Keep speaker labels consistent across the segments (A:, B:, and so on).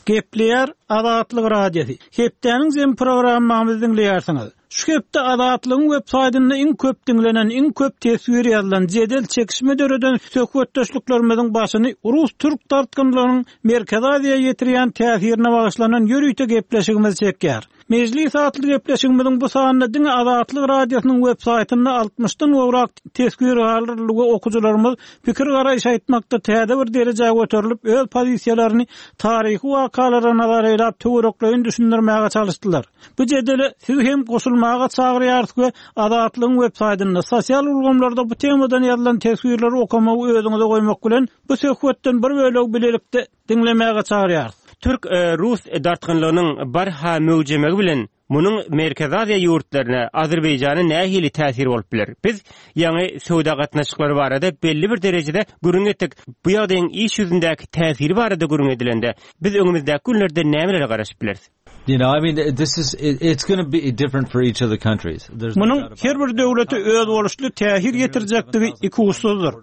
A: Gepleýär Azatlyk Radiosy. Hepdäniň jemi programmamyzy diňleýärsiňiz. Şu hepde Azatlygyň web saýtynda iň köp diňlenen, iň köp teswir ýazylan, jedel çekişme döreden söhbetdeşliklerimiziň başyny rus-türk dartgynlygynyň Merkezi Aziýa ýetirýän täsirine bagyşlanan ýörite gepleşigimiz çekýär. Mejlis atly gepleşigimiziň bu sanynda diňe Azatlyk Radiosynyň web saýtynda altmyşdan gowrak teswir galdyryldy we okyjylarymyz pikir-garaýyş aýtmakda täze bir derejä göterilip, öz pozisiýalaryny taryhy wakalara nazar eýläp töwerekleýin düşündirmäge çalyşdylar. Bu jedele sizi hem goşulmaga çagyrýarys we Azatlygyň web saýtynda, sosial ulgamlarda bu temadan ýazylan teswirleri okamagy özüňize goýmak bilen, bu söhbetden bir bölegi bilelikde diňlemäge çagyrýarys.
B: Türk, rus dartgynlygynyň barha möwjemegi bilen munuň Merkezi Aziýa ýurtlaryna, Azerbaýjana nähili täsiri bolup biler? Biz ýaňy söwda gatnaşyklary barada belli bir derejede gürrüň etdik. Bu ýagdaýyň iş ýüzündäki täsiri barada gürrüň edilende, biz öňümizdäki günlerde nämelere garaşyp bileris?
C: You know, I mean, this is it's going to be different for each of the countries.
A: Munuň her bir döwlete özboluşly täsir ýetirjekdigi ikuçsuzdyr.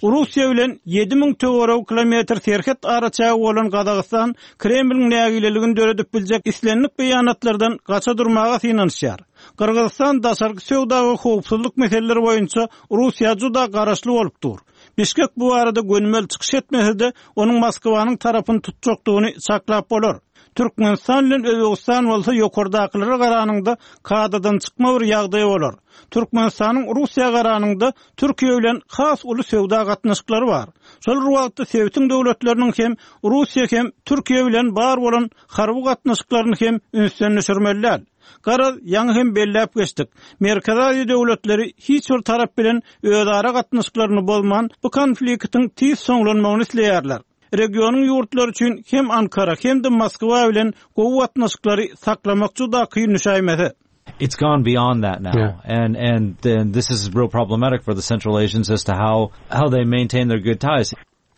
A: Russiýa bilen 7000 töweregi kilometr serhet araçägi bolan Gazagystan Kremliň nägileligini döredip biljek islendik beýanatlardan gaça durmaga synanyşýar. Gyrgyzystan daşarky söwda we howpsuzlyk meseleleri boýunça Russiýa juda garaşly bolup dur. Bişkek bu barada gönümel çykyş etmese-de, onuň Moskwanyň tarapyny tutjakdygyny çaklap bolar. Türkmenistan bilen Özbegistan bolsa ýokardakylara garanyňda kadadan çykma bir ýagdaý bolar. Türkmenistanyň Russiýa garanyňda Türkiýe bilen has uly söwda gatnaşyklary bar. Şol bir wagtda sebitiň döwletleriniň hem Russiýa hem Türkiýe bilen bar bolan harby gatnaşyklaryny hem ünsden düşürmeli däl. Garaz, ýaňy hem belläp geçdik, Merkezi Aziýa döwletleri hiç bir tarap bilen özara gatnaşyklaryny bozman, bu konfliktiň tiz soňlanmagyny isleýärler. Regionyň ýurtlary üçin hem Ankara, hem-de Moskwa bilen gowy gatnaşyklary saklamak juda kyn düşäýmese.
C: It's gone beyond that now and and then this is real problematic for the Central Asians as to how how they maintain their good ties.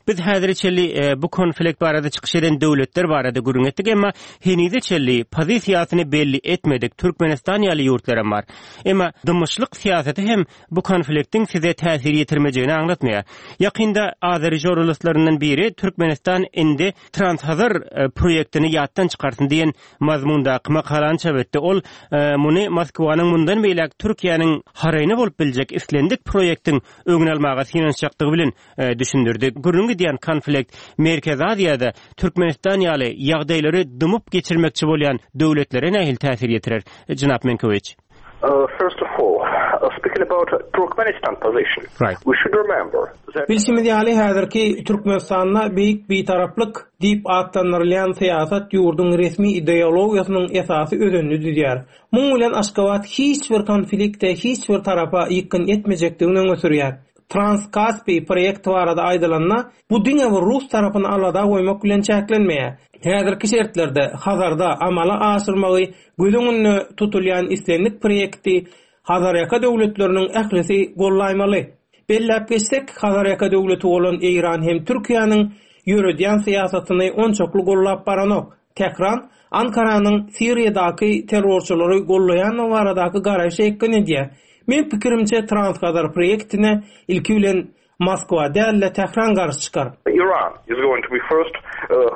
B: Biz häzire çenli bu konflikt barada çykyş eden döwletler barada gürrüň etdik, emma henize çenli pozisiýasyny belli etmedik Türkmenistan ýaly ýurtlaram bar. Emma dymyşlyk syýasaty hem bu konfliktiň size täsir ýetirmejegini aňlatmaýar. Ýakynda azeri žurnalistlaryndan biri Türkmenistan indi Transhazar proýektini ýatdan çykarsyn diýen mazmundaky makalany çap etdi. Ol muny Moskwanyň mundan beýläk Türkiýäniň haraýyna bolup biljek islendik proýektiň öňüni almaga synanyşjakdygy bilen düşündirdi. Gürrüňi gidýän konflikt Merkezi Aziýada Türkmenistan ýaly ýagdaýlary dymyp geçirmekçi bolýan döwletlere nähili täsir ýetirer, jenap Menkowiç?
D: First of all, speaking about Turkmenistan position, we should remember
E: that. Bilşimiz ýaly, häzirki Türkmenistanda Beýik Bitaraplyk diýip atlandyrylýan syýasat ýurduň resmi ideologiýasynyň esasy özenini düzýär. Muň bilen Aşgabat hiç bir konflikte hiç bir tarapa ýykgyn etmejekdigini öňe sürýär. Trans-Kaspi proýekti barada aýdylanda, bu diňe bir rus tarapyny alada goýmak bilen çäklenmeýär. Häzirki şertlerde Hazarda amala aşyrmagy göz öňünde tutulýan islendik proýekti Hazarýaka döwletleriniň ählisi gollaýmaly. Belläp geçsek, Hazarýaka döwleti bolan Eýran hem Türkiýäniň ýöredýän syýasatyny onçakly gollap baranok. Tähran Ankaranyň Siriýadaky terrorçylary gollaýandygy baradaky garaýşa ýykgyn edýär. Meň pikirimçe Transhazar proýektine ilki bilen Moskwa däl-de Tähran garşy çykar.
D: Iran is going to be first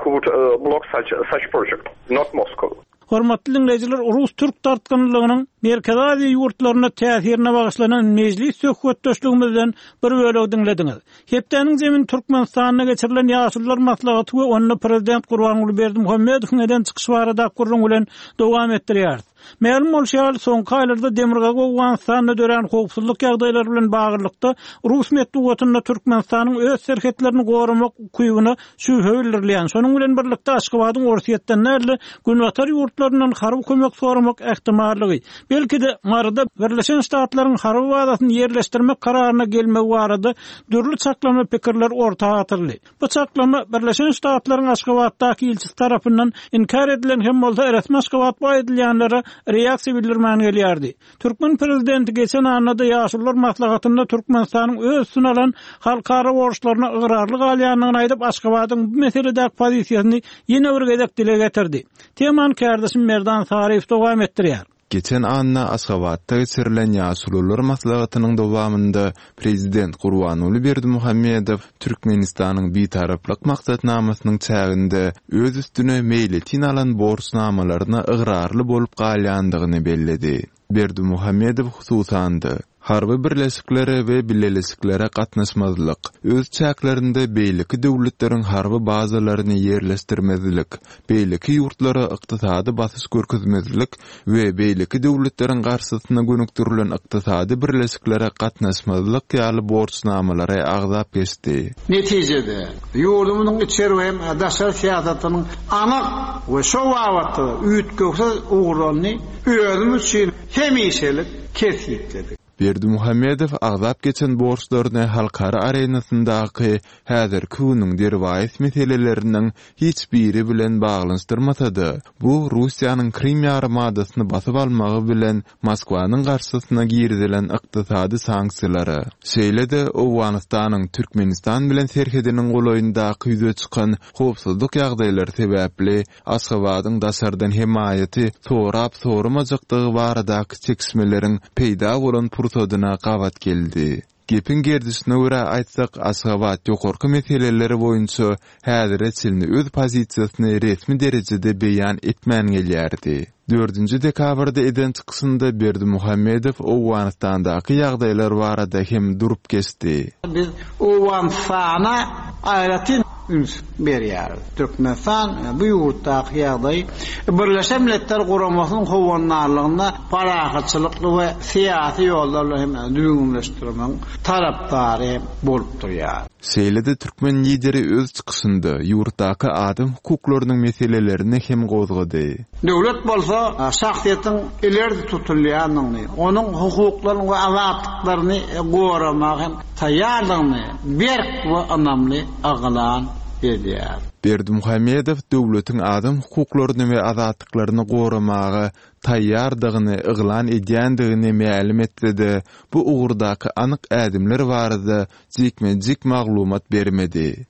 D: who would block such such project, not Moscow.
A: Hormatly diňleýjiler, rus-türk dartgynlylygynyň Merkezi Aziýa ýurtlaryna täsirine bagyşlanan mejlis söhbetdeşligimizden bir bölegi diňlediňiz. Hepdäniň zemini Türkmenistanda geçirilen Ýaşulular maslahaty we onda prezident Gurbanguly Berdimuhamedowyň eden çykyşy baradaky gürrüň bilen dowam etdirýäris. Mälim bolşy ýaly, soňky aýlarda Demirgazyk Owganystanda dörän howpsuzlyk ýagdaýlary bilen baglylykda, rus metbugatynda Türkmenistanyň öz serhetlerini goramak ukybyna şübhe bildirilýän, şonuň bilen birlikde Aşgabadyň Orsýetden däl-de, Günbatar ýurtlaryndan harby kömek soramak ähtimallygy, belki-de, Maryda Birleşen Ştatlaryň harby bazasyny ýerleşdirmek kararyna gelmegi barada dürli çaklama pikirler orta atyldy. Bu çaklama Birleşen Ştatlaryň Aşgabatdaky ilçisi tarapyndan inkär edilen hem bolsa, resmi Aşgabat bu aýdylýanlara reaksiýa bildirmän gelýärdi. Türkmen prezidenti geçen annada Ýaşulular maslahatynda Türkmenistanyň öz üstüne alan halkara borçlaryna ygrarly galýandygyny aýdyp, Aşgabadyň bu meseledäki pozisiýasyny ýene bir gezek dile getirdi. Temany kärdeşim Merdan Saryýew dowam etdirýär.
F: Geçen anna Aşgabatda geçirilen Ýaşulular maslahatynyň dowamynda Prezident Gurbanguly Berdimuhamedow Türkmenistanyň Bitaraplyk maksatnamasynyň çäginde öz üstüne meýletin alan borçnamalaryna ygrarly bolup galýandygyny belledi. Berdimuhamedow hususan-da, harby birleşiklere we bileleşiklere gatnaşmazlyk, öz çäklerinde beýleki döwletleriň harby bazalaryny ýerleşdirmezlik, beýleki ýurtlara ykdysady basyş görkezmezlik we beýleki döwletleriň garşysyna gönükdirilen ykdysady birleşiklere gatnaşmazlyk ýaly borçnamalary agzap geçdi.
G: Netijede, ýurdumyzyň içeri we hem daşary syýasatynyň anyk we şo babatda-da üýtgewsiz ugurlaryny özümiz üçin hemişelik kesgitledik.
F: Berdimuhamedow agzap geçen borçlaryny halkara arenasyndaky häzirki günüň derwaýys meseleleriniň hiç biri bilen baglanyşdyrmasa-da, bu Russiýanyň Krym ýarymadasyny basyp almagy bilen Moskwanyň garşysyna girizilen ykdysady sanksiýalara, şeýle-de Owganystanyň Türkmenistan bilen serhediniň golaýyndaky ýüze çykan howpsuzlyk ýagdaýlary sebäpli Aşgabadyň daşardan hemaýaty sorap-soramajakdygy baradaky çekişmeleriň peýda bolan pursadyna gabat geldi. Gepiň gerdişine görä aýtsak, Aşgabat ýokarky meseleler boýunça häzire çenli öz pozisiýasyny resmi derejede beýan etmän gelýärdi. Dördünji dekabrda eden çykyşynda Berdimuhamedow Owganystandaky ýagdaýlar barada hem durup geçdi.
G: Biz Owganystana aýratyn üns berýäris. Türkmenistan bu ýurtdaky ýagdaýy Birleşen Milletler Guramasynyň howandarlygynda parahatçylykly we syýasy ýollar bilen hem düzgünleşdirmegiň tarapdary hem bolup durýar.
F: Şeýle-de türkmen Lideri öz çykyşynda ýurtdaky adam hukuklarynyň meselelerini hem gozgady.
G: Döwlet bolsa şahsyýetiň ileri tutulýandygyny, onuň hukuklaryny we azatlyklaryny goramaga hem taýýardygyny berk we ynamly yglan edýär.
F: Berdimuhamedow döwletiň adam hukuklaryny we azatlyklaryny goramaga taýýardygyny yglan edýändigini mälim etse-de, bu ugurdaky anyk ädimler barada jikme-jik maglumat bermedi.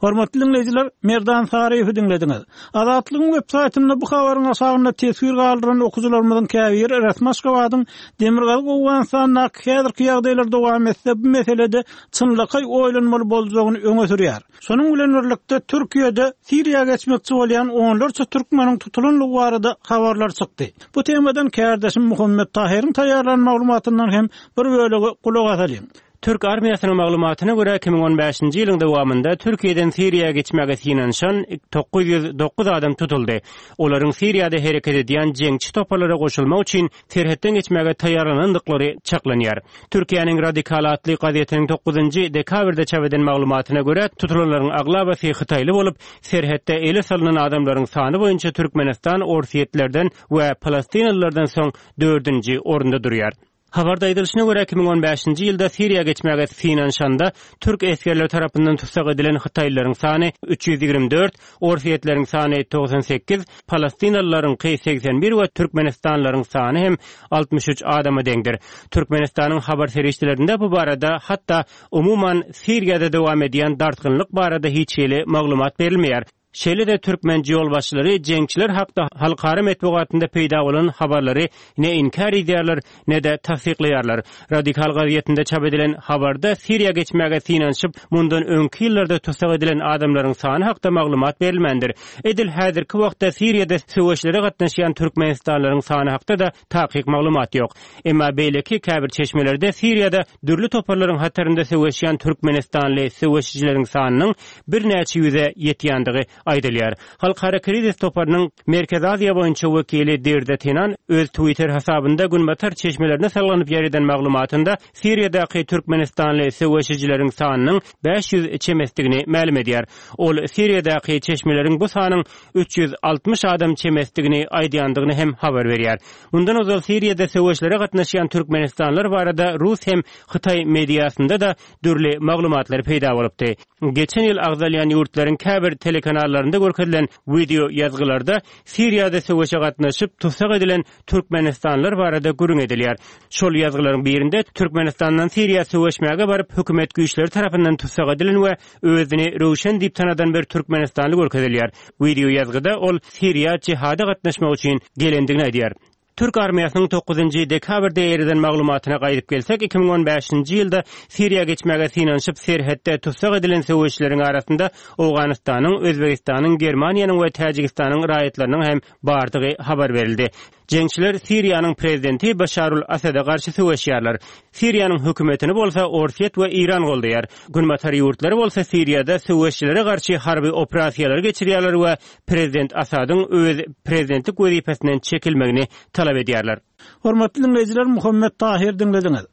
A: Hormatly diňleýjiler, Merdan Saryýewi diňlediňiz. Azatlygyň web saýtynda bu habaryň aşagynda teswir galdyran okyjylarymyzyň käbiri resmi Aşgabadyň Demirgazyk Owganystandaky häzirki ýagdaýlar dowam etse, bu meselede çynlakaý oýlanmaly boljagyny öňe sürýär. Şonuň bilen birlikde, Türkiýede Siriýa geçmekçi bolýan onlarça türkmeniň tutulandygy barada habarlar çykdy. Bu temadan kärdeşim Muhammet Tahyryň taýýarlan maglumatyndan hem bir bölegi gulak asalyň.
B: Türk armiýasynyň maglumatyna görä, 2015-nji ýylyň dowamynda Türkiýeden Siriýa geçmäge synanyşan 909 adam tutuldy. Olaryň Siriýada hereket edýän jeňçi toparlara goşulmak üçin serhetden geçmäge taýýarlanandyklary çaklanýar. Türkiýäniň Radikal atly gazetiniň dokuzynjy dekabrda çap eden maglumatyna görä, tutulanlaryň aglabasy hytaýly bolup, serhetde ele salnan adamlaryň sany boýunça Türkmenistan orsýetlerden we palestinalylardan soň dördünji orunda durýar. Habarda aýdylyşyna görä, 2015-nji ýylda Siriýa geçmäge synanyşanda türk esgerleri tarapyndan tussag edilen hytaýlylaryň sany 324, orsýetleriň sany 98, palestinalylaryňky 81 we türkmenistanlylaryň sany hem 63 adama deňdir. Türkmenistanyň habar serişdelerinde bu barada, hatda umuman Siriýada dowam edýän dartgynlyk barada hiç hili maglumat berilmeýär. Şeýle-de türkmen ýolbaşçylary jeňçiler hakda halkara metbugatynda peýda bolan habarlary ne inkär edýärler, ne-de tassyklaýarlar. Radikal gazetinde çap edilen habarda Siriýa geçmäge synanyşyp, mundan öňki ýyllarda tussag edilen adamlaryň sany hakda maglumat berilmändir. Edil häzirki wagtda Siriýada söweşlere gatnaşýan türkmenistanlylaryň sany hakda-da takyk maglumat ýok. Emma beýleki käbir çeşmelerde Siriýada dürli toparlaryň hatarynda söweşýän türkmenistanly söweşijileriň sanynyň birnäçe ýüze ýetýändigi aýdylýar. Halkara krizis toparynyň Merkezi Aziýa boýunça wekili Dirde Tenan öz Twitter hasabynda günbatar çeşmelerine salgylanyp ýaýradan maglumatynda Siriýadaky türkmenistanly söweşijileriň sanynyň 500 çemesidigini mälim edýär. Ol Siriýadaky çeşmeleriň bu sanyň 360 adam çemesidigini aýdýandygyny hem habar berýär. Mundan ozal Siriýada söweşlere gatnaşýan türkmenistanlylar barada rus hem hytaý mediasynda-da dürli maglumatlar peýda bolupdy. Geçen ýyl agzalýan ýurtlaryň käbir telekanallarynda görkezilen wideo ýazgylarda Siriýada söweşe gatnaşyp, tussag edilen türkmenistanlylar barada gürrüň edilýär. Şol ýazgylaryň birinde Türkmenistandan Siriýa söweşmäge baryp, hökümet güýçleri tarapyndan tussag edilen we özüni Röwşen diýip tanadan bir türkmenistanly görkezilýär. Wideo ýazgyda ol Siriýa jihada gatnaşmak üçin gelendigini aýdýar. Türk armiýasynyň dokuzynjy dekabrda ýereden maglumatyna gaýdyp gelsek, 2015-nji ýylda Siriýa geçmäge synanyşyp, serhetde tussag edilen söweşijileriň arasynda Owganystanyň, Özbegistanyň, Germaniýanyň we Täjigistanyň raýatlarynyň hem bardygy habar berildi. Jeňçiler Siriýanyň prezidenti Başarul Asada garşy söweşýärler. Siriýanyň hökümetini bolsa Orsýet we Eýran goldaýar. Günbatar ýurtlary bolsa Siriýada söweşijilere garşy harby operasiýalary geçirýärler we prezident Asadyň öz prezidentlik wezipesinden çekilmegini talap edýärler.
A: Hormatly diňleýjiler Muhammet Tahyr diňlediňiz.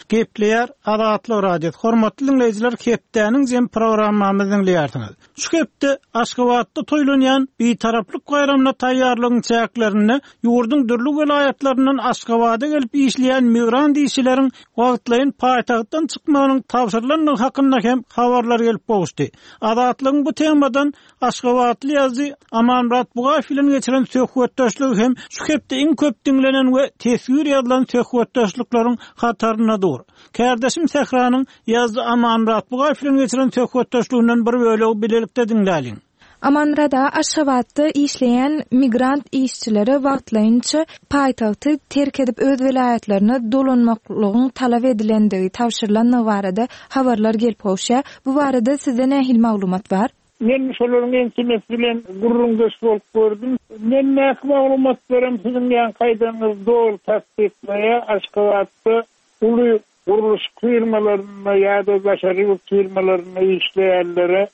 A: Gepleýär Azatlyk Radiosy. Hormatly diňleýjiler hepdäniň jem programmamyzy diňleýärsiňiz. Şu hepde Aşgabatda toýlanýan Bitaraplyk baýramyna taýýarlygyň çäklerinde ýurduň dürli welaýatlaryndan Aşgabada gelip işleýän migrant işçileriň wagtlaýyn paýtagtdan çykmagynyň tabşyrylandygy hakynda hem habarlar gelip gowuşdy. Azatlygyň bu temadan aşgabatly ýazyjy Amanmyrat Bugaýew bilen geçiren söhbetdeşligi hem şu hepde iň köp diňlenen we teswir ýazylan söhbetdeşlikleriň hatarynda dur. Kärdeşim Sähranyň ýazyjy Amanmyrat Bugaýew bilen geçiren söhbetdeşliginden bir bölegi bilelikde diňläliň.
H: Amanmyrat aga, Aşgabatda işleýän migrant işçilere wagtlaýynça paýtagty terk edip öz welaýatlaryna dolanmaklygyň talap edilendigi, tabşyrylandygy barada habarlar gelip gowuşýar. Bu barada sizde nähili maglumat bar?
I: Men şolaryň ençemesi bilen gürrüňdeş bolup gördüm. Mendäki maglumatlaram siziň ýaňky aýdanyňyzy doly tassyklaýar. Aşgabatda uly gurluşyk firmalarynda ýa-da daşary ýurt firmalarynda işleýänlere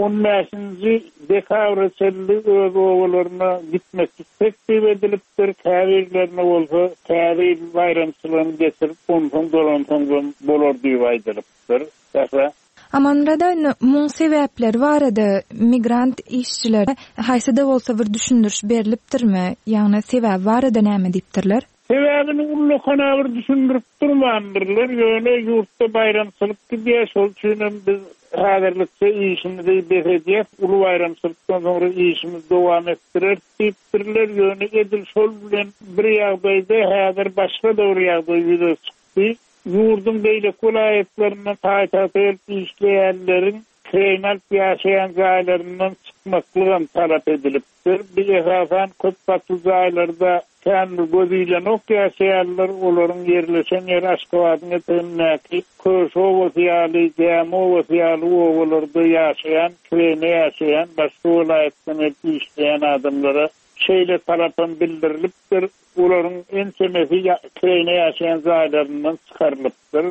I: on bäşinji dekabra çenli öz obalaryna gitmeklik teklip edilipdir, käbirlerine bolsa Täze ýyl baýramçylygyny geçirip, onsoň dolansaňzam bolar diýip aýdylypdyr. Sähra.
H: Amanmyrat indi muň sebäpleri barada migrant işçilere haýsy-da bolsa bir düşündiriş berlipdirmi? Ýagny sebäbi barada näme diýipdirler?
I: Sebäbini ullakan-a bir düşündirip durmandyrlar, ýöne ýurtda baýramçylyk gidýär, şol üçinem biz häzirlikçe işimizi bes edýäs, uly baýramçylykdan soňra işimizi dowam etdireris diýipdirler, ýöne edil şol bilen bir ýagdaýda häzir başga-da bir ýagdaý ýüze çykdy. Ýurduň beýleki welaýatlaryndan paýtagta gelip işleýänleriň kireýine alyp ýaşaýan jaýlaryndan çykmaklygam talap edilipdir. Bu esasan köp gatly jaýlarda kän bir göz ilenok ýaşaýanlar, olaryň ýerleşen ýeri Aşgabadyň etegindäki Köşi obasy ýaly, Gämi obasy ýaly obalarda ýaşaýan, kireýine ýaşaýan, başga welaýatdan gelip işleýän adamlara şeýle talapam bildirilipdir. Olaryň ençemesi kireýine ýaşaýan jaýlaryndan çykarylypdyr.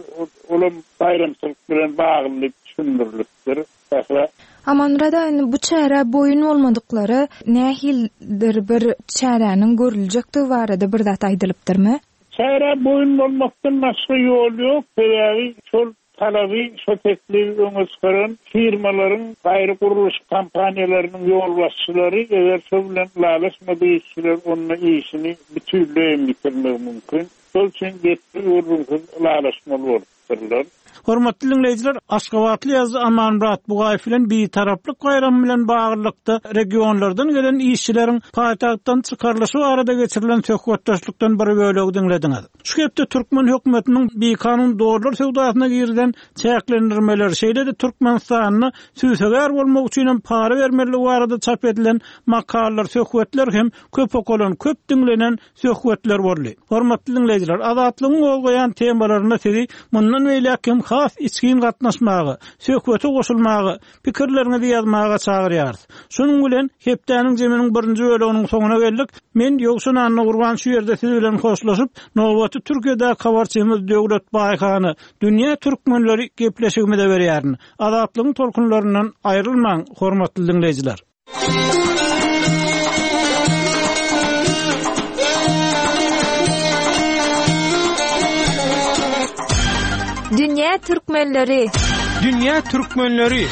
I: Olam baýramçylyk bilen bagly diýip düşündirilipdir. Sähra.
H: Amanmyrat aga, indi bu çärä boýun bolmadyklara nähilidir bir çäräniň görüljekdigi barada bir zat aýdylypdyrmy?
I: Çärä boýun bolmakdan başga ýol ýok, sebäbi şol Talaby şo teklibi öňe çykaran firmalaryň, gaýry gurluşyk kompaniýalarynyň ýolbaşçylary eger şo bilen ylalaşmadyk işçiler onda işini bütinleý hem ýitirmegi mümkin. Şol üçin gepli gürrüňsiz ylalaşmaly bolupdyrlar.
A: Hormatly diňleýjiler, aşgabatly ýazyjy Amanmyrat Bugaýew bilen Bitaraplyk baýramy bilen baglylykda regionlardan gelen işçileriň paýtagtdan çykarylyşy barada geçirilen söhbetdeşlikden bir bölegi diňlediňiz. Şu hepde türkmen hökümetiniň bikanun dollar söwdasyna girizen çäklendirmeleri, şeýle-de Türkmenistanda sübsegär bolmak üçin hem para bermelidigi barada çap edilen makalalar, söhbetler hem köp okalan, köp diňlenen söhbetler boldy. Hormatly diňleýjiler, Azatlygyň gozgaýan temalaryna sizi mundan beýläk hem has içgin gatnaşmaga, söhbete goşulmaga, Pikirleriňizi ýazmaga çagyrýarys. Şunuň bilen, hepdäniň jeminiň birinji böleginiň soňuna geldik. Men Ýowşan Annagurban şu ýerde siz bilen hoşlaşyp, nobaty Türkiýedäki habarçymyz Döwlet Baýhana, Dünýä türkmenleri gepleşigimize berýärin. Azatlygyň tolkunlaryndan aýrylmaň, hormatly diňleýjiler!
H: Dünýä türkmenleri!
A: Dünýä türkmenleri!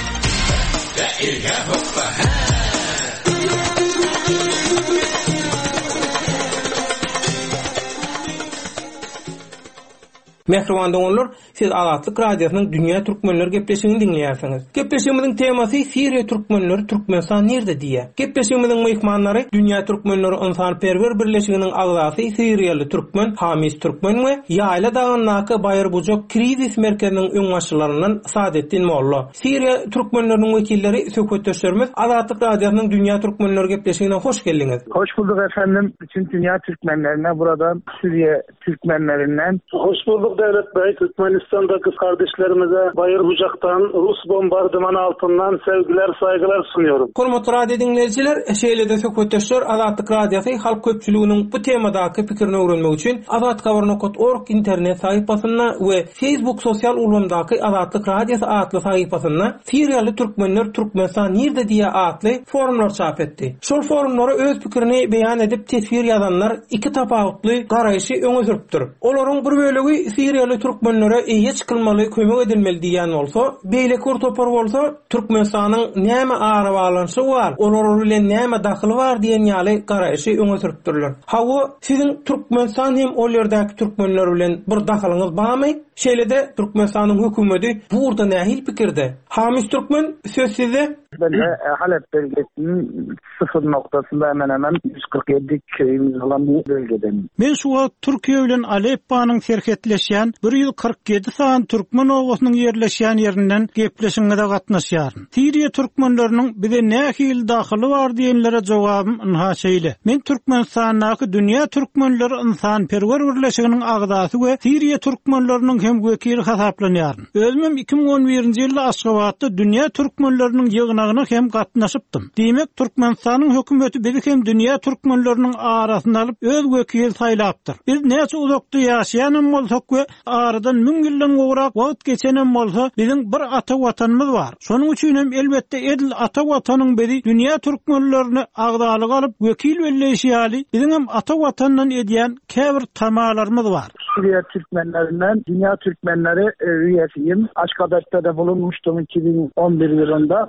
A: Mähriban doganlar!
E: Siz Azatlyk Radiosynyň Dünýä Türkmenleri gepleşigini diňleýärsiňiz. Gepleşigimiziň temasy Siriýa türkmenleri Türkmenistan nirde diýýär. Gepleşigimiziň myhmanlary Dünýä Türkmenleri ynsanperwer birleşiginiň agzasy siriýaly türkmen Hamis Türkmen we Ýaýla dagyndaky Baýyrbujak krizis merkeziniň öňbaşçylaryndan Sadetdin Molla. Siriýa türkmenleriniň wekilleri söhbetdeşlerimiz Azatlyk Radiosynyň Dünýä Türkmenleri gepleşigine hoş geldiňiz.
J: Hoş bulduk efendim. Bütün dünýä türkmenlerine buradan Suriye Türkmenlerinden.
K: Hoş bulduk Dewlet Bey. Türkmenistan'daki kardeşlerimize Bayırbucak'tan Rus bombardımanı altından sevgiler saygılar sunuyorum.
E: Hormatly radio diňleýjiler, şeýle-de söhbetdeşler Azatlyk Radiosy halk köpçüliginiň bu temadaky pikirini öwrenmek üçin azathabar nokat org internet sahypasynda we Facebook sosial ulgamdaky Azatlyk Radiosy atly sahypasynda Siriýaly türkmenler Türkmenistan nirde diýýär atly forumlar çap etdi. Şol forumlara öz pikirini beýan edip teswir ýazanlar iki tapawutly garaýşy öňe sürüpdir. Olaryň bir bölegi siriýaly türkmenlere eýe çykylmaly kömek edilmeli diýýän bolsa, beýleki bir topar bolsa Türkmenistanyň näme arabaglanyşygy bar, olar bilen näme dahyly bar diýen ýaly garaýşy öňe sürüpdirler. Hawa, siziň Türkmenistan hem ol ýerdäki türkmenler bilen bir dahylyňyz barmy? Şeýle-de Türkmenistanyň hökümeti bu ugurda nähili pikirde? Hamis Türkmen, söz sizde.
J: Ben de Halep bölgesiniň sıfır noktasynda hemen hemen 147 köyümüz olan bir bölgeden.
A: Men şu wagt Türkiýe bilen Alepponyň serhetleşýän 147 sany türkmen obasynyň ýerleşýän ýerinden gepleşigiňize gatnaşýaryn. Siriýa türkmenleriniň bize nähili dahyly bar diýenlere jogabym ynha şeýle. Men Türkmenistandaky Dünýä türkmenleri ynsanperwer birleşiginiň agzasy we Siriýa türkmenleriniň hem wekili hasaplanýaryn. Özümem 2011-nji ýylda Aşgabatda Dünýä türkmenleriniň ýygnagyna hem gatnaşypdym. Diýmek, Türkmenistanyň hökümeti bizi hem dünýä türkmenleriniň arasyna alyp, öz wekili saýlapdyr. Biz näçe uzakda ýaşaýanam bolsak we Aradan müň ýyldan gowrak wagt geçenem bolsa, biziň bir ata Watanymyz bar. Şonuň üçin hem, elbetde, edil ata Watanyň bizi dünýä türkmenlerine agzalyga alyp, wekil belleýşi ýaly, biziňem ata Watandan edýän käbir tamalarymyz bar.
J: Suriye Türkmenlerinden Dünya Türkmenleri üyesiyim. Aşgabatda-da bulunmuştum 2011 yılında.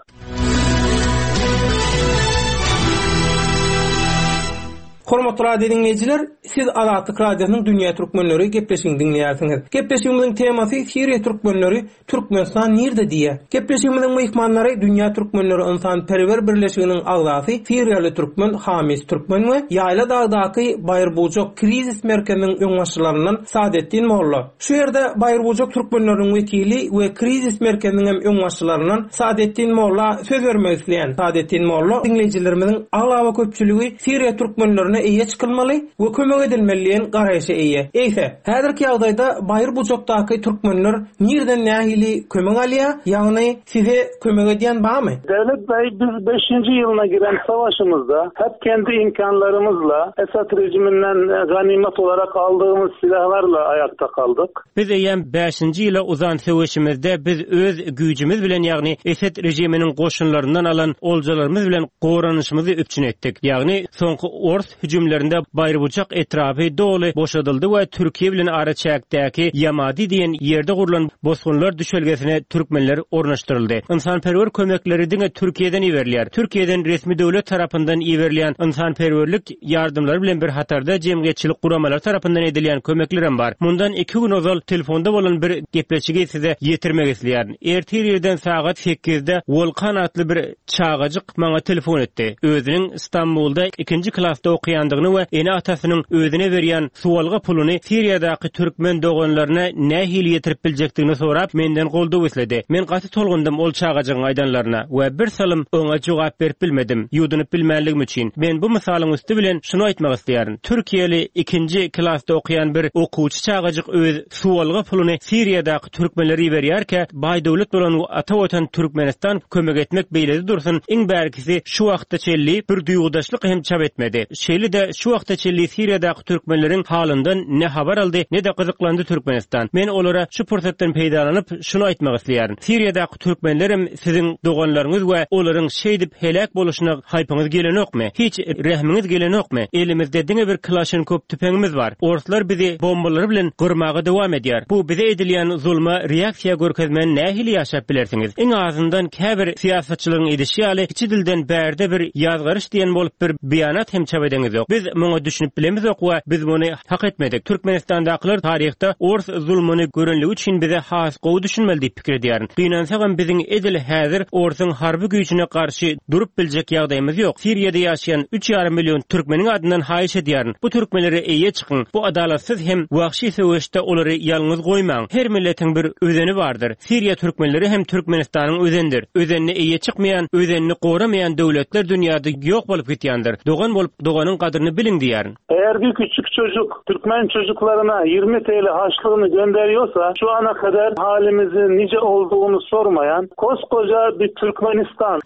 E: Hormatly radio diňleýjiler, siz Azatlyk Radiosynyň Dünýä Türkmenleri gepleşigini diňleýärsiňiz. Gepleşigimiziň temasy Siriýa türkmenleri Türkmenistan nirde diýýär. Gepleşigimiziň myhmanlary Dünýä Türkmenleri ynsanperwer birleşiginiň agzasy siriýaly türkmen Hamis Türkmen we Ýaýla dagdaky Baýyrbujak krizis merkeziniň öňbaşçylaryndan Sadetdin molla. Şu ýerde Baýyrbujak türkmenleriniň wekili we krizis merkeziniň hem öňbaşçylaryndan Sadetdin molla söz bermek isleýän. Sadetdin molla, Diňleýjilerimiziň aglaba köpçüligi Siriýa türkmenlerine eýe çykylmaly we kömek edilmeli diýen garaýşa eýe. Eýse, häzirki ýagdaýda Baýyrbujakdaky türkmenler nirden nähili kömek alýar, ýagny Size kömek edýän barmy?
K: Dewlet Bey, biz beşinji ýylyna giren savaşymyzda hep kendi imkanlarymyzla, Esad rejiminden ganimet olarak aldığymyz silahlarla ayakta kaldyk.
B: Biz eýýäm bäşinji ýyla uzan söweşimizde biz öz güýjümiz bilen ýagny Esed režiminiň goşunlaryndan alan oljalarymyz bilen goranyşymyzy üpjün etdik. Ýagny soňky ors hüjümlerinde Baýrybujak etrapy doly boşadyldy we Türkiýe bilen araçäkdäki Ýamadi diýen ýerde gurlan bosgunlar düşelgesine türkmenler ornaşdyryldy. Ynsanperwer kömekleri diňe Türkiýeden iberilýär. Türkiýeden resmi döwlet tarapyndan iberilýän ynsanperwerlik ýardamlary bilen bir hatarda jemgyýetçilik guramalary tarapyndan edilýän kömeklerem bar. Mundan iki gün ozal telefonda bolan bir gepleşigi size ýetirmek isleýärin. Ertir irden sagat sekizde Wolkan atly bir Çagajyk maňa telefon etdi. Özüniň Stambulda ikinji klasda okaýandygyny we ene-atasynyň özüne berýän suwalga puluny Siriýadaky türkmen doganlaryna nähili ýetirip biljekdigini sorap, menden goldaw isledi. Men gaty tolgundym ol çagajygyň aýdanlaryna we bir salym oňa jogap berip bilmedim, ýuwdunyp bilmänligim üçin. Men bu mysalyň üsti bilen şuny aýtmak isleýärin, Türkiýeli ikinji klasda okaýan bir okuwçy çagajyk öz suwalga puluny Siriýadaky türkmenlere iberýärkä, baý döwlet bolan ata watan Türkmenistan kömek etmek beýlede dursun, iň bärkisi şu wagta çenli bir duýgudaşlyk hem çap etmedi. Şeýle-de şu wagta çenli Siriýadaky türkmenleriň halyndan ne habar aldy, ne-de gyzyklandy Türkmenistan. Men olara şu pursatdan peýdalanyp şuny aýtmak isleýärin. Siriýadaky türkmenlerem siziň doganlaryňyz we olaryň şeýdip heläk boluşyna haýpyňyz gelenokmy? Hiç rehmiňiz gelenokmy? Elimizde diňe bir Kalaşnikow tüpeňimiz bar. Orslar bizi bombalary bilen gyrmaga dowam edýär. Bu bize edilýän zulma reaksiýa görkezmän nähili ýaşap bilersiňiz? Iň azyndan käbir syýasatçylaryň edişi ýaly kiçi dilden bärde bir ýazgaryş diýen bolup bir beýanat hem çap edeňizok. bilemizok. Biz muňa düşünip bilemizok we biz muny hak etmedik. Türkmenistandakylar taryhda ors zulmuny görenligi üçin bize has gowy düşünmeli diýip pikir edýärin. Gynansagam biziň edil häzir orsuň harby güýjüne garşy durup biljek ýagdaýymyz ýok. Siriýada ýaşaýan üç ýarym million türkmeniň adyndan haýyş edýärin, bu türkmenlere eýe çykyň, bu adalatsyz hem wagşy söweşde olary ýalňyz goýmaň. Her milletiň bir özeni bardyr. Siriýa türkmenleri hem Türkmenistanyň özenidir. Özenine eýe çykmaýan, özenini goramaýan döwletler dünýäde ýok bolup gitýändir. Dogan bolup doganyň gadryny biliň diýýärin.
K: Eğer bir küçük çocuk Türkmen çocuklarına 20 TL harçlığını gönderiyorsa şu ana kadar halimizin nice olduğunu sormayan koskoca bir Türkmenistan.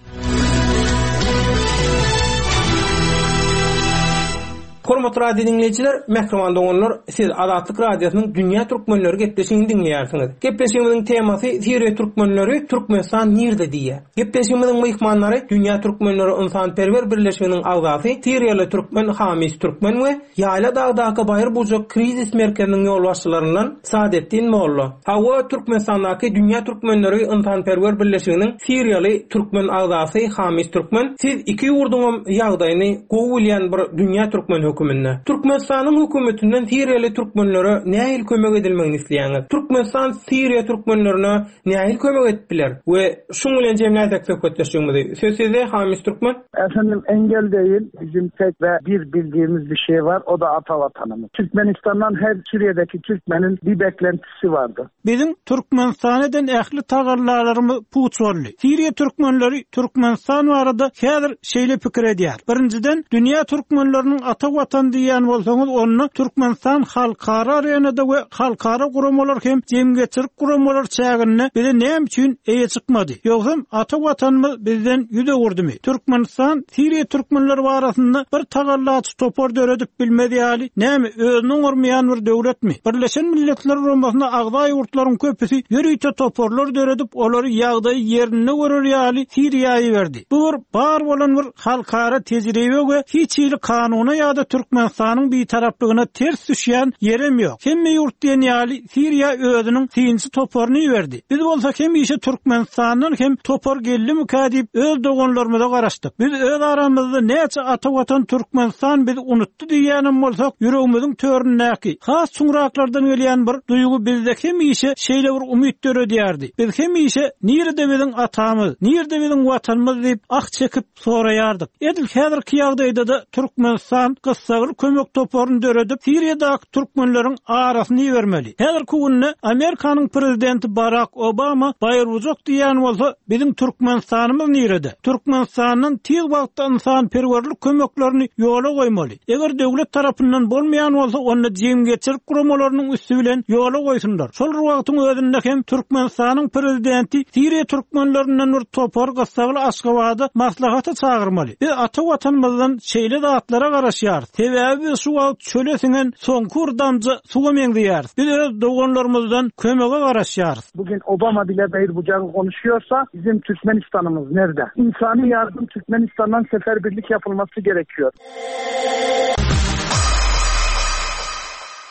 E: Hormatly radio diňleýjiler, mähriban doganlar, siz Azatlyk Radiosynyň Dünýä Türkmenleri gepleşigini diňleýärsiňiz. Gepleşigimiziň temasy Siriýa türkmenleri Türkmenistan nirde diýýär. Gepleşigimiziň myhmanlary Dünýä Türkmenleri ynsanperwer birleşiginiň agzasy siriýaly türkmen Hamis Türkmen we Ýaýla dagdaky Baýyr Bujak krizis merkeziniň ýolbaşçylaryndan Sadetdin Molla. Hawa, Türkmenistandaky Dünýä Türkmenleri ynsanperwer birleşiginiň siriýaly türkmen agzasy Hamis Türkmen, siz iki ýurduňam ýagdaýyny gowy bilýän bir dünýä türkmeni höküminde. Türkmenistanyň hökümetinden siriýaly türkmenlere nähili kömek edilmegini isleýäňiz? Türkmenistan siriýa türkmenlerine nähili kömek edip biler? We şuň bilen jemläýsek söhbetdeşligimizi. Söz sizde Hamis Türkmen.
J: Efendim engel değil bizim tek ve bir bildiğimiz bir şey var o da ata vatanımız. Türkmenistan'dan her Suriye'deki Türkmenin bir beklentisi vardı.
A: Biziň Türkmenistana eden ähli tagallalarymyz puç boldy. Siriýa türkmenleri Türkmenistan barada häzir şeýle pikir edýär. Birinjiden, dünýä türkmenleriniň ata watany diýýän bolsaňyz, onda Türkmenistan halkara arenada we halkara guramalar hem jemgyýetçilik guramalar çäginde bize näme üçin eýe çykmady? Ýogsam ata watanymyz bizden ýüz öwürdimi? Türkmenistan Siriýa türkmenleri barasynda bir tagallaçy topar döredip bilmez ýaly, näme, özüni oňarmaýan bir döwletmi? Birleşen Milletler Guramasyna agza ýurtlaryň köpüsi ýörite toparlar döredip, olary ýagdaýy ýerinde görer ýaly Siriýa iberdi. Bu bir bar bolan bir halkara tejribe we hiç hili kanuna ýa-da Türkmenistanyň bitaraplygyna ters düşýän ýerem ýok. Hemme ýurt diýen ýaly Siriýa özüniň synçy toparyny iberdi. Biz bolsa hemişe Türkmenistandan hem topar geldimikä diýip öz doganlarymyza garaşdyk. Biz öz aramyzda näçe ata watan Türkmenistan bizi unutdy diýýänem bolsak, ýüregimiziň töründäki, has çuňraklardan gelýän bir duýgy bizde hemişe şeýle bir umyt döredýärdi. Biz hemişe nirede biziň atamyz, nirede biziň watanymyz diýip ah çekip soraýardyk. Edil häzirki ýagdaýda-da Türkmenistan gyssagly kömek toparyny döredip, Siriýadaky türkmenleriň arasyny ibermeli. Häzirki günde Amerikanyň prezidenti Barak Obama Baýyrbujak diýýän bolsa, biziň Türkmenistanymyz nirede? Türkmenistandan tiz wagtda ynsanperwerlik kömeklerini ýola goýmaly. Eger döwlet tarapyndan bolmaýan bolsa, onda jemgyýetçilik guramalarynyň üsti bilen ýola goýsunlar. Şol bir wagtyň özünde hem Türkmenistanyň prezidenti Siriýa türkmenlerinden bir topar gyssagly Aşgabada maslahata çagyrmaly. Biz ata Watanymyzdan şeýle zatlara garaşýarys. Sebäbi biz şu wagt çöle siňen soňky bir damja suwa meňzeýäris. Biz öz doganlarymyzdan kömege garaşýarys.
J: Bugün Obama bile Bayırbucağı konuşuyorsa bizim Türkmenistan'ımız nerede? İnsani yardım Türkmenistan'dan seferbirlik yapılması gerekiyor.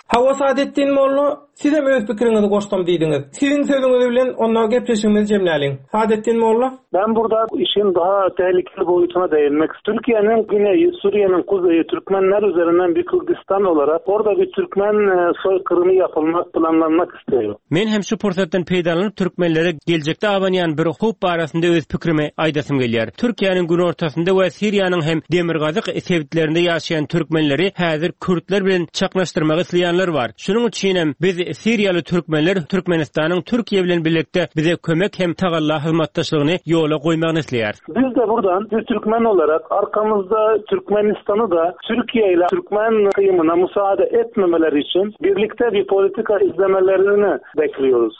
E: Hawa Sadetdin molla, sizem öz pikiriňizi goşsam diýdiňiz. Siziň sözüňiz bilen onda gepleşigimizi jemläliň. Sadetdin molla.
K: Ben burada işin daha tehlikeli boýutuna değinmek Türkiye'nin güneyi, Suriye'nin kuzeyi Türkmenler üzerinden bir Kürdistan olarak orada bir Türkmen soykırımı yapılmak, planlanmak istiyor.
B: Men hem şu pursatdan peýdalanyp türkmenlere geljekde abanýan bir howp barasynda öz pikrimi aýdasym gelýär. Türkiýäniň günortasynda we Siriýanyň hem demirgazyk sebitlerinde ýaşaýan türkmenleri häzir kürtler bilen çaknaşdyrmak isleýänler bar. Şunuň üçinem biz siriýaly türkmenler Türkmenistanyň Türkiýe bilen birlikde bize kömek hem tagalla hyzmatdaşlygyny ýola goýmagyny isleýäris.
K: Biz de buradan bir Türkmen olarak arkamızda Türkmenistan'ı da Türkiye ile Türkmen kıyımına müsaade etmemeleri için birlikte bir politika izlemelerini bekliyoruz.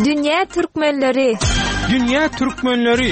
H: Dünýä türkmenleri!
E: Dünýä türkmenleri!